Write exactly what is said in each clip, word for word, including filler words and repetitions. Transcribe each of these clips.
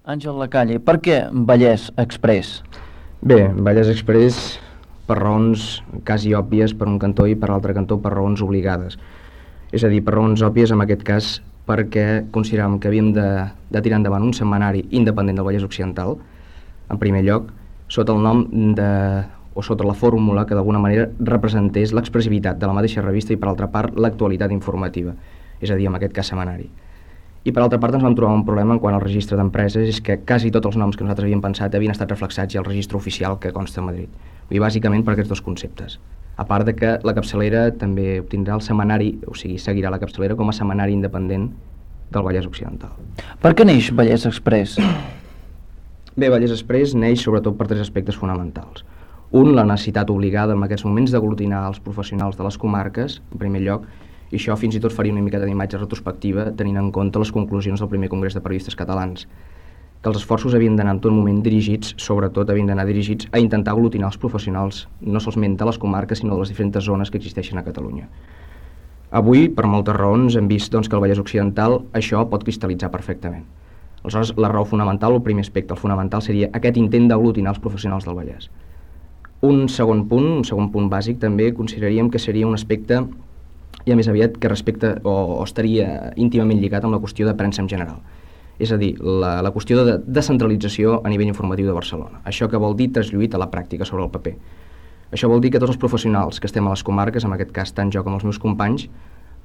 Àngel Lacalle, per què Vallès Express? Bé, Vallès Express per raons quasi òbvies per un cantó i per l'altre cantó per raons obligades. És a dir, per raons òbvies en aquest cas perquè consideràvem que havíem de, de tirar endavant un setmanari independent del Vallès Occidental, en primer lloc, sota el nom de, o sota la fórmula que d'alguna manera representés l'expressivitat de la mateixa revista i per altra part l'actualitat informativa, és a dir, en aquest cas setmanari. I per altra part ens vam trobar un problema en quant al registre d'empreses, és que quasi tots els noms que nosaltres havíem pensat havien estat reflexats ja al registre oficial que consta a Madrid. Vull dir, bàsicament per aquests dos conceptes. A part de que la capçalera també obtindrà el setmanari, o sigui, seguirà la capçalera com a setmanari independent del Vallès Occidental. Per què neix Vallès Express? Bé, Vallès Express neix sobretot per tres aspectes fonamentals. Un, la necessitat obligada en aquests moments d'aglutinar els professionals de les comarques, en primer lloc, i això fins i tot faria una miqueta d'imatge retrospectiva tenint en compte les conclusions del primer Congrés de Periodistes Catalans, que els esforços havien d'anar en tot moment dirigits, sobretot havien d'anar dirigits a intentar aglutinar els professionals, no solament de les comarques, sinó de les diferents zones que existeixen a Catalunya. Avui, per moltes raons, hem vist doncs, que al Vallès Occidental això pot cristal·litzar perfectament. Aleshores, la raó fonamental, el primer aspecte, el fonamental, seria aquest intent d'aglutinar els professionals del Vallès. Un segon punt, un segon punt bàsic, també consideraríem que seria un aspecte i a més aviat que respecta o, o estaria íntimament lligat amb la qüestió de premsa en general. És a dir, la, la qüestió de descentralització a nivell informatiu de Barcelona. Això que vol dir traslluït a la pràctica sobre el paper. Això vol dir que tots els professionals que estem a les comarques, en aquest cas tant jo com els meus companys,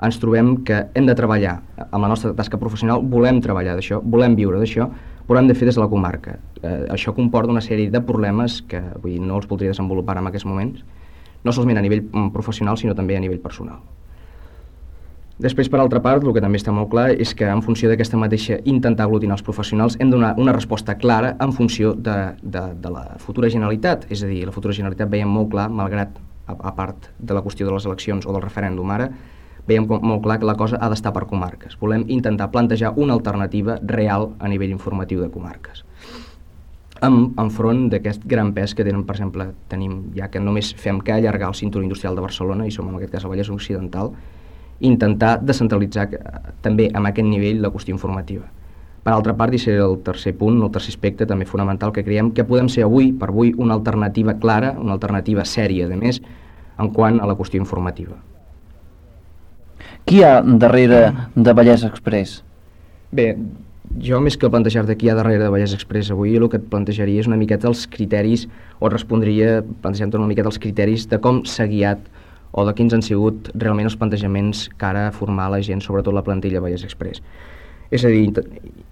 ens trobem que hem de treballar amb la nostra tasca professional, volem treballar d'això, volem viure d'això, però hem de fer des de la comarca. Eh, això comporta una sèrie de problemes que vull dir, no els voldria desenvolupar en aquests moments, no solament a nivell professional, sinó també a nivell personal. Després, per altra part, el que també està molt clar és que en funció d'aquesta mateixa intentar aglutinar els professionals hem de donar una resposta clara en funció de, de, de la futura Generalitat. És a dir, la futura Generalitat veiem molt clar, malgrat a, a part de la qüestió de les eleccions o del referèndum ara, veiem molt clar que la cosa ha d'estar per comarques. Volem intentar plantejar una alternativa real a nivell informatiu de comarques. En, enfront d'aquest gran pes que tenen, per exemple, tenim ja que només fem que allargar el cinturó industrial de Barcelona, i som en aquest cas el Vallès Occidental, intentar descentralitzar també amb aquest nivell la qüestió informativa. Per altra part, i serà el tercer punt, el tercer aspecte també fonamental, que creiem que podem ser avui per avui una alternativa clara, una alternativa sèria, de més, en quant a la qüestió informativa. Qui hi ha darrere de Vallès Express? Bé, jo més que plantejar-te qui hi ha darrere de Vallès Express avui, el que et plantejaria és una miqueta els criteris, o respondria plantejant-te una miqueta els criteris de com s'ha guiat o de quins han sigut realment els plantejaments que ara formar la gent, sobretot la plantilla Vallès Express. És a dir,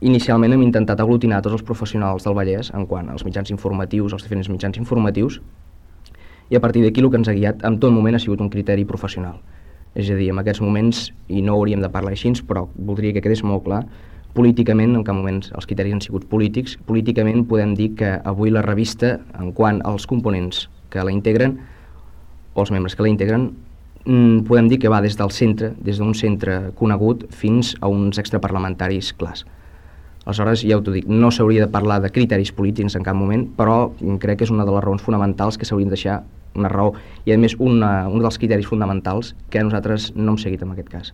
inicialment hem intentat aglutinar tots els professionals del Vallès en quant als mitjans informatius, als diferents mitjans informatius, i a partir d'aquí el que ens ha guiat en tot moment ha sigut un criteri professional. És a dir, en aquests moments, i no hauríem de parlar així, però voldria que quedés molt clar, políticament, en cap moment els criteris han sigut polítics, políticament podem dir que avui la revista, en quant als components que la integren, o els membres que la integren, podem dir que va des del centre, des d'un centre conegut fins a uns extraparlamentaris clars. Aleshores, ja ho t'ho dic, no s'hauria de parlar de criteris polítics en cap moment, però crec que és una de les raons fonamentals que s'haurien de deixar, una raó, i a més una, un dels criteris fonamentals que nosaltres no hem seguit en aquest cas.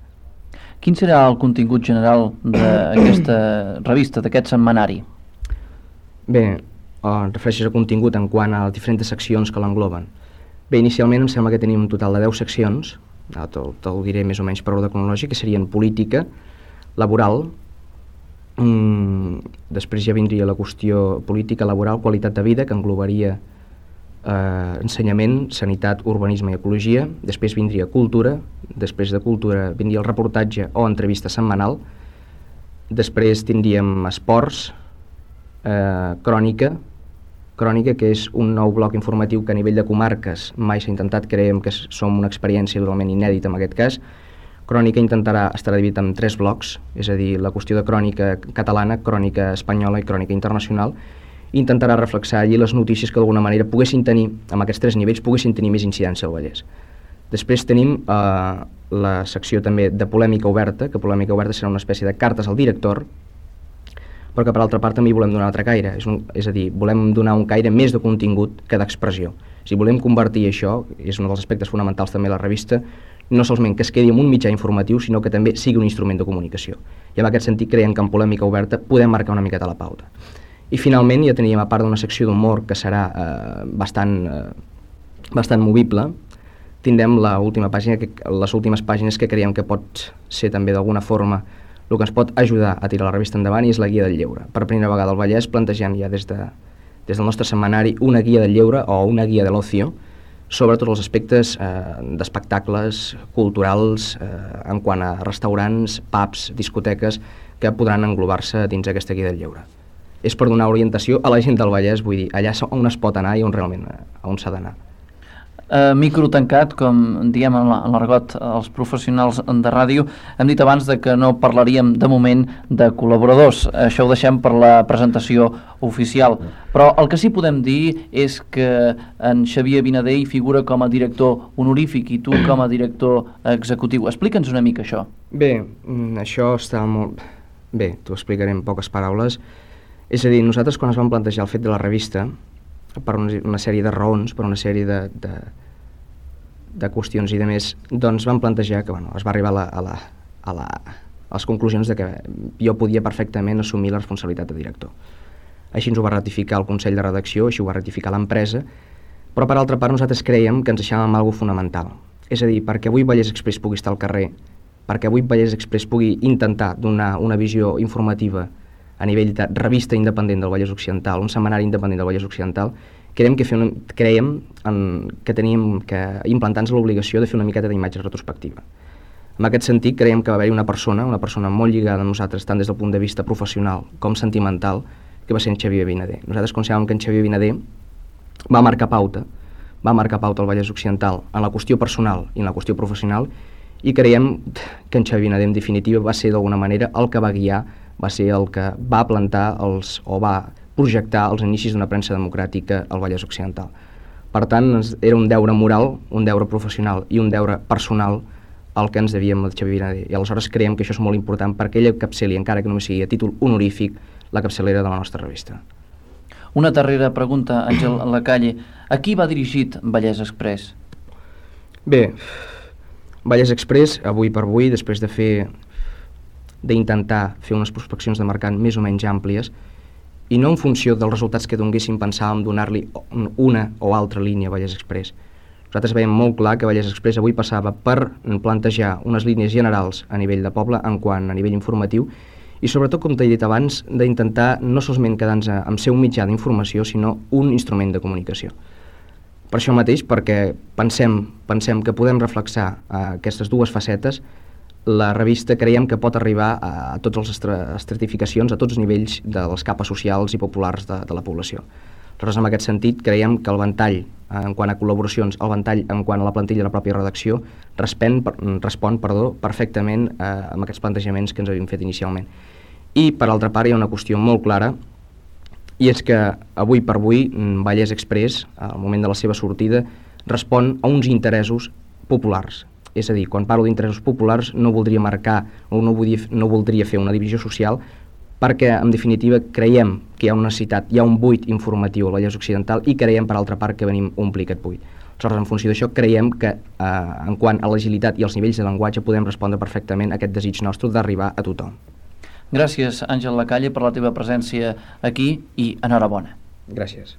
Quin serà el contingut general d'aquesta revista, d'aquest setmanari? Bé, em refereixes a contingut en quant a les diferents seccions que l'engloben. Bé, inicialment em sembla que tenim un total de deu seccions, te'l te diré més o menys per ordre cronològic, que serien política, laboral, mmm, després ja vindria la qüestió política, laboral, qualitat de vida, que englobaria eh, ensenyament, sanitat, urbanisme i ecologia, després vindria cultura, després de cultura vindria el reportatge o entrevista setmanal, després tindríem esports, eh, crònica, Crònica, que és un nou bloc informatiu que a nivell de comarques mai s'ha intentat, creiem que som una experiència totalment inèdita en aquest cas. Crònica intentarà estar dividit en tres blocs, és a dir, la qüestió de crònica catalana, crònica espanyola i crònica internacional, i intentarà reflexar allí les notícies que d'alguna manera poguessin tenir, amb aquests tres nivells, poguessin tenir més incidència al Vallès. Després tenim eh, la secció també de polèmica oberta, que polèmica oberta serà una espècie de cartes al director, però que per altra part també volem donar un altre caire, és, un, és a dir, volem donar un caire més de contingut que d'expressió. Si volem convertir això, és un dels aspectes fonamentals també de la revista, no solament que es quedi en un mitjà informatiu, sinó que també sigui un instrument de comunicació. I en aquest sentit creiem que en polèmica oberta podem marcar una miqueta la pauta. I finalment ja teníem, a part d'una secció d'humor que serà eh, bastant, eh, bastant movible, tindrem la última pàgina, que, les últimes pàgines que creiem que pot ser també d'alguna forma el que ens pot ajudar a tirar la revista endavant, i és la guia del lleure. Per primera vegada al Vallès plantegem ja des, de, des del nostre setmanari una guia del lleure o una guia de l'ocio sobre tots els aspectes eh, d'espectacles culturals eh, en quant a restaurants, pubs, discoteques que podran englobar-se dins aquesta guia del lleure. És per donar orientació a la gent del Vallès, vull dir, allà on es pot anar i on realment on s'ha d'anar. Uh, micro tancat, com diem en l'argot els professionals de ràdio. Hem dit abans de que no parlaríem de moment de col·laboradors, això ho deixem per la presentació oficial, però el que sí podem dir és que en Xavier Vinader hi figura com a director honorífic i tu com a director executiu. Explica'ns una mica això. Bé, això està molt... Bé, t'ho explicaré en poques paraules. És a dir, nosaltres quan es vam plantejar el fet de la revista, per una, una sèrie de raons, per una sèrie de, de, de qüestions i de més, doncs vam plantejar que bueno, es va arribar a, la, a, la, a, la, a les conclusions de que jo podia perfectament assumir la responsabilitat de director. Així ens ho va ratificar el Consell de Redacció, així ho va ratificar l'empresa, però per altra part nosaltres creiem que ens deixàvem alguna cosa fonamental. És a dir, perquè avui Vallès Express pugui estar al carrer, perquè avui Vallès Express pugui intentar donar una visió informativa a nivell de revista independent del Vallès Occidental, un setmanari independent del Vallès Occidental, creiem que, fer una, creiem en, que teníem que implantar-nos l'obligació de fer una miqueta d'imatge retrospectiva. En aquest sentit, creiem que va haver-hi una persona, una persona molt lligada a nosaltres, tant des del punt de vista professional com sentimental, que va ser en Xavier Vinader. Nosaltres consideràvem que en Xavier Vinader va marcar pauta, va marcar pauta al Vallès Occidental en la qüestió personal i en la qüestió professional, i creiem que en Xavier Vinader, en definitiva, va ser d'alguna manera el que va guiar, va ser el que va plantar els, o va projectar els inicis d'una premsa democràtica al Vallès Occidental. Per tant, era un deure moral, un deure professional i un deure personal el que ens devíem al Xavier Vinader. I aleshores creiem que això és molt important perquè ella capçali, encara que només sigui a títol honorífic, la capçalera de la nostra revista. Una darrera pregunta, Àngel Lacalle. A qui va dirigit Vallès Express? Bé, Vallès Express, avui per avui, després de fer d'intentar fer unes prospeccions de mercat més o menys àmplies, i no en funció dels resultats que donguéssim pensàvem donar-li una o altra línia a Vallès Express. Nosaltres veiem molt clar que Vallès Express avui passava per plantejar unes línies generals a nivell de poble, en quant a nivell informatiu, i sobretot, com t'he dit abans, d'intentar no solament quedar-nos amb ser un mitjà d'informació, sinó un instrument de comunicació. Per això mateix, perquè pensem, pensem que podem reflexar uh, aquestes dues facetes, la revista creiem que pot arribar a, a totes les estratificacions, a tots els nivells de les capes socials i populars de, de la població. Aleshores, en aquest sentit, creiem que el ventall, eh, en quant a col·laboracions, el ventall en quant a la plantilla de la pròpia redacció, respon, per, respon perdó, perfectament eh, amb aquests plantejaments que ens havíem fet inicialment. I, per altra part, hi ha una qüestió molt clara, i és que avui per avui Vallès Express, al moment de la seva sortida, respon a uns interessos populars. És a dir, quan parlo d'interessos populars no voldria marcar o no voldria, no voldria fer una divisió social, perquè, en definitiva, creiem que hi ha una necessitat, hi ha un buit informatiu al Vallès Occidental i creiem, per altra part, que venim a omplir aquest buit. Aleshores, en funció d'això, creiem que, eh, en quant a l'agilitat i els nivells de llenguatge, podem respondre perfectament a aquest desig nostre d'arribar a tothom. Gràcies, Àngel Lacalle, per la teva presència aquí i enhorabona. Gràcies.